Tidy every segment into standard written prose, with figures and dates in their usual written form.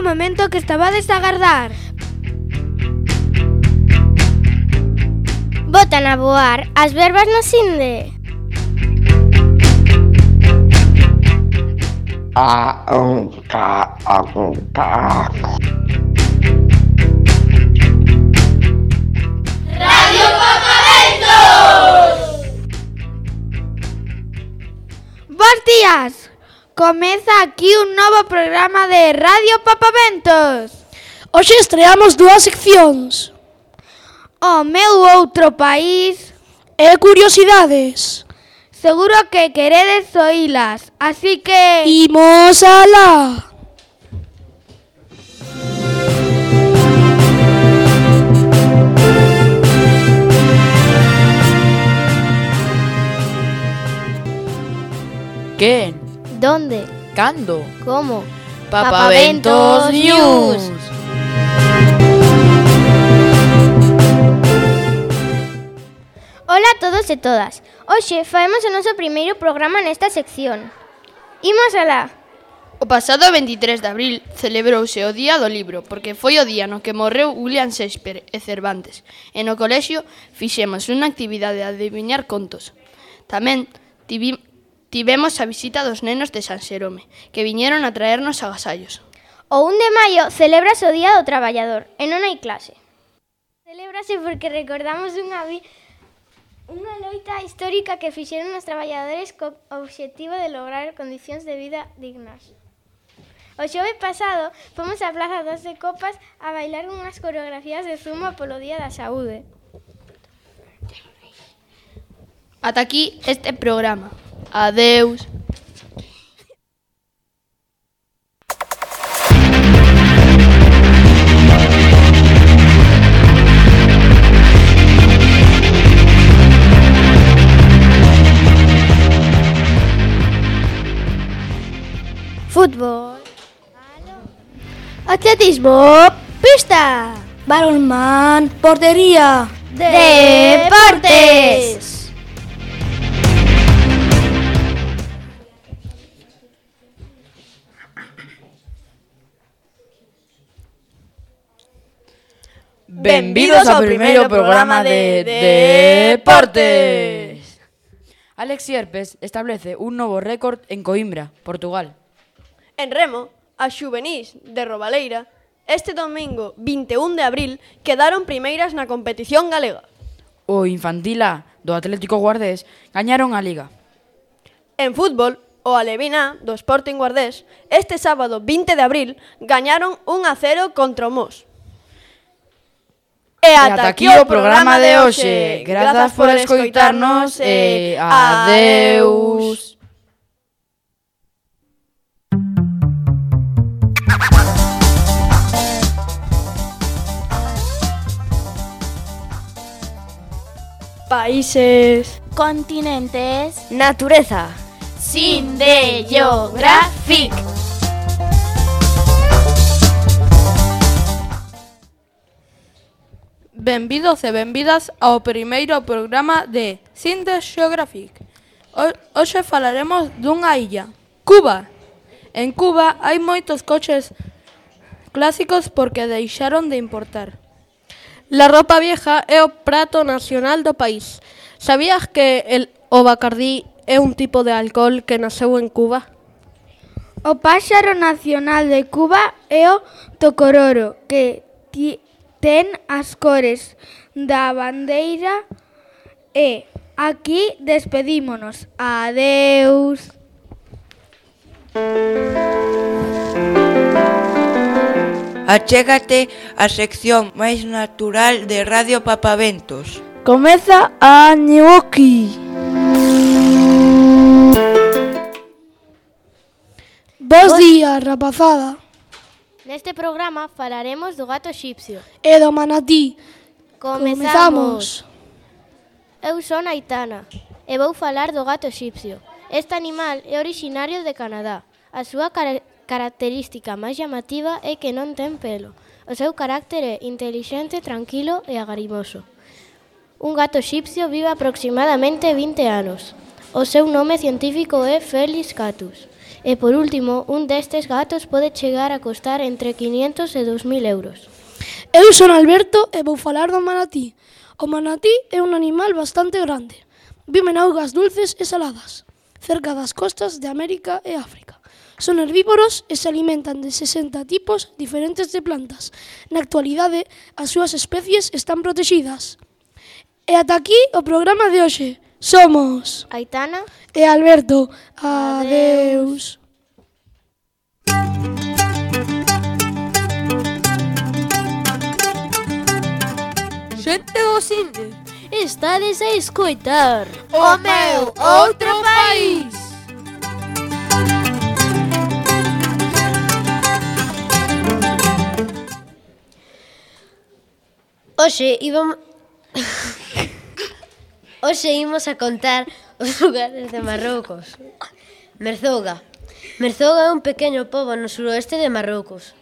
momento que estabades a agardar. Botan a voar as verbas no Sinde. Radio Papaventos! Bos días! Comeza aquí un novo programa de Radio Papaventos. Hoxe estreamos dúas seccións. O meu outro país. E curiosidades. Seguro que queredes oílas, así que... Imos alá! Quen? Donde? Cando? Como? Papaventos News. Ola a todos e todas. Hoxe faemos o noso primeiro programa nesta sección. Imos alá. O pasado 23 de abril celebrouse o Día do Libro, porque foi o día no que morreu William Shakespeare e Cervantes, e no colexio fixemos unha actividade de adiviñar contos. Tamén tivemos a visita dos nenos de San Xerome, que viñeron a traernos agasallos. O 1 de maio celebrase o Día do Traballador, e non hai clase. Celébrase porque recordamos unha loita histórica que fixeron os traballadores co obxectivo de lograr condicións de vida dignas. O xove pasado fomos á Plaza das de Copas a bailar unhas coreografías de zumba polo Día da Saúde. Ata aquí este programa. Adeus. Fútbol, Atletismo, pista. Balonmán, portería. deportes. Benvidos ao primeiro programa de Deportes. Alex Sierpes establece un novo récord en Coimbra, Portugal. En remo, as xuvenís de Robaleira, este domingo 21 de abril, quedaron primeiras na competición galega. O infantil A do Atlético Guardés gañaron a Liga. En fútbol, o Alevín A do Sporting Guardés, este sábado 20 de abril, gañaron 1-0 contra o Mos. E ata aquí o programa de hoxe. Grazas por escoitarnos e adeus. Países, Continentes. natureza. Sinde Geographic. Benvidos e benvidas ao primeiro programa de Sinde Geographic. Hoxe falaremos dunha illa, Cuba. En Cuba hai moitos coches clásicos porque deixaron de importar. La ropa vieja é o prato nacional do país. Sabías que o Bacardí é un tipo de alcohol que naceu en Cuba? O páxaro nacional de Cuba é o tocororo, que ten as cores da bandeira e aquí despedímonos. Adeus. Achégate a sección máis natural de Radio Papaventos. Comeza a Ñuki. Bos días, rapazada. Neste programa falaremos do gato xipsio. E do manatí. Comezamos. Eu son Aitana e vou falar do gato xipsio. Este animal é orixinario de Canadá. A súa característica máis llamativa é que non ten pelo. O seu carácter é intelixente, tranquilo e agarimoso. Un gato xipsio vive aproximadamente 20 anos. O seu nome científico é Felis catus E por último, un destes gatos pode chegar a costar entre 500 e 2.000 euros. Eu son Alberto e vou falar do manatí. O manatí é un animal bastante grande. Vive en augas dulces e saladas, cerca das costas de América e África. Son herbívoros e se alimentan de 60 tipos diferentes de plantas. Na actualidade, as súas especies están protegidas. E ata aquí o programa de hoxe. Somos Aitana e Alberto. Adeus. Xente do Sinde. estades a escoitar O meu outro país. Hoxe imos a contar os lugares de Marrocos. Merzouga. Merzouga é un pequeno pobo no suroeste de Marrocos.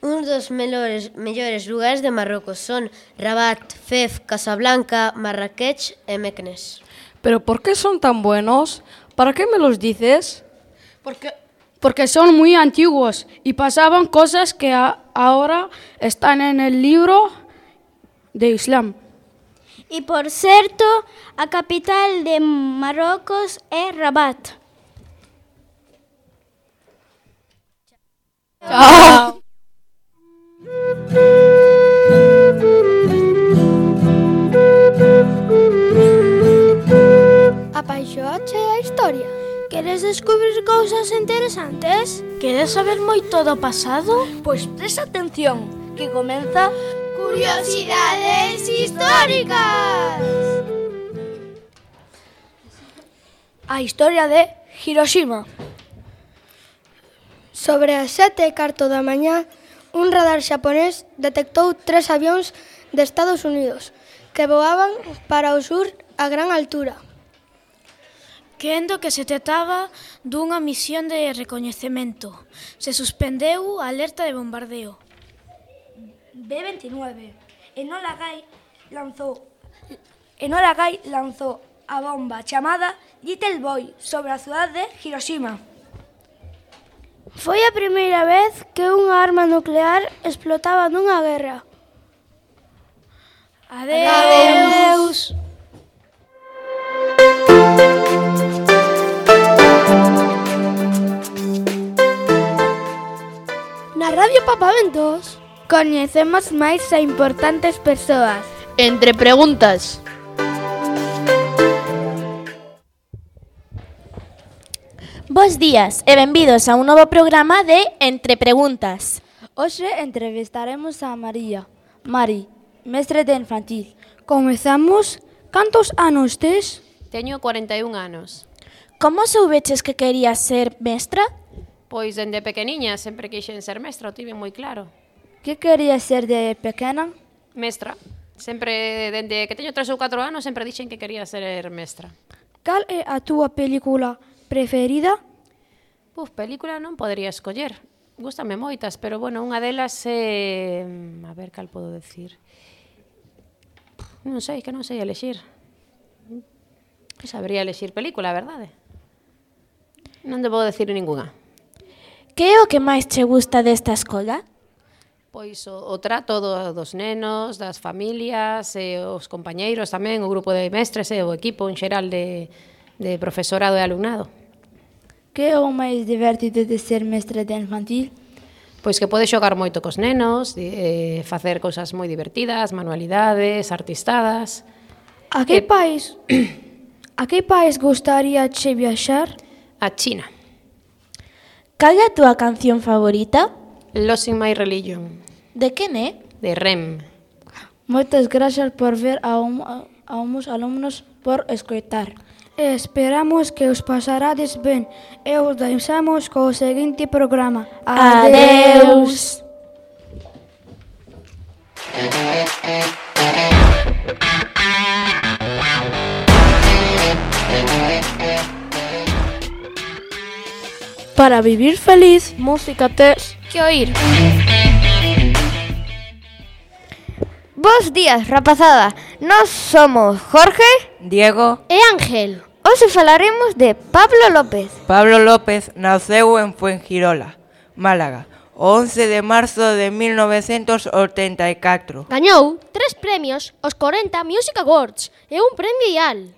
Un dos mellores lugares de Marrocos son Rabat, Fez, Casablanca, Marrakech e Meknes. ¿Pero por qué son tan buenos? ¿Para qué me los dices? Porque son muy antiguos y pasaban cosas que ahora están en el libro de Islam. E, por certo, a capital de Marrocos é Rabat. Chao. Apaixoache a historia? Queres descubrir cousas interesantes? Queres saber moito do pasado? Pois presta atención, que comeza Curiosidades históricas. a historia de Hiroshima. Sobre as 7:15 da mañá, un radar xaponés detectou 3 avións de Estados Unidos que voaban para o sur a gran altura. Quendo que se trataba dunha misión de recoñecemento, se suspendeu a alerta de bombardeo. B-29. Enola Gay lanzou a bomba chamada Little Boy sobre a cidade de Hiroshima. Foi a primeira vez que unha arma nuclear explotaba nunha guerra. Adeus. Na Radio Papaventos Coñecemos máis a importantes persoas. Entre preguntas. Bos días e benvidos a un novo programa de Entre Preguntas. Hoxe entrevistaremos a Mari, mestre de infantil. Comezamos. Cantos anos tes? Teño 41 anos. Como soubeches que querías ser mestra? Pois dende pequeniña sempre quixen ser mestra, o tive moi claro. Que querías ser de pequena? Mestra. Sempre, dende que teño 3 ou 4 anos, sempre dixen que quería ser mestra. Cal é a túa película preferida? Película non podería escoller. Gústame moitas, pero, bueno, unha delas é... A ver, cal podo decir? Non sei elexir. Non sabría elexir película, a verdade. Non debo decir ningunha. Que é o que máis che gusta desta escola? Pois o trato dos nenos, das familias, os compañeiros tamén, o grupo de mestres e o equipo en xeral de profesorado e alumnado. Que é o máis divertido de ser mestre de infantil? Pois que pode xogar moito cos nenos, facer cousas moi divertidas, manualidades, artistadas. A que país gustaría che viaxar? A China. Cal é a túa canción favorita? Losing My Religion. De quen é? De Rem. Moitas gracias por ver a uns alumnos por escoitar. Esperamos que os pasarades ben e os deixamos co seguinte programa. Adeus. Para vivir feliz, música tes Que oír. Bos días, rapazada. Nós somos Jorge Diego E Ángel. Hoxe falaremos de Pablo López. Pablo López naceu en Fuengirola, Málaga, o 11 de marzo de 1984. Gañou 3 premios aos 40 Music Awards e un premio IAL.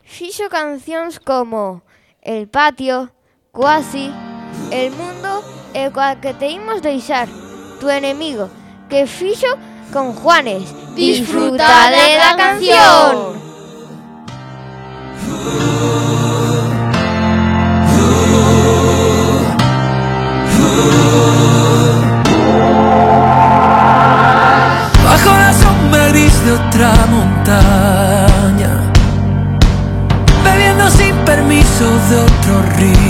Fixo cancións como El Patio, Cuasi, El Mundo e Coa que te imos deixar, Tu enemigo, que fixo con Juanes. Disfrutade da canción! Bajo la sombra gris de otra montaña, bebiendo sin permiso de otro río,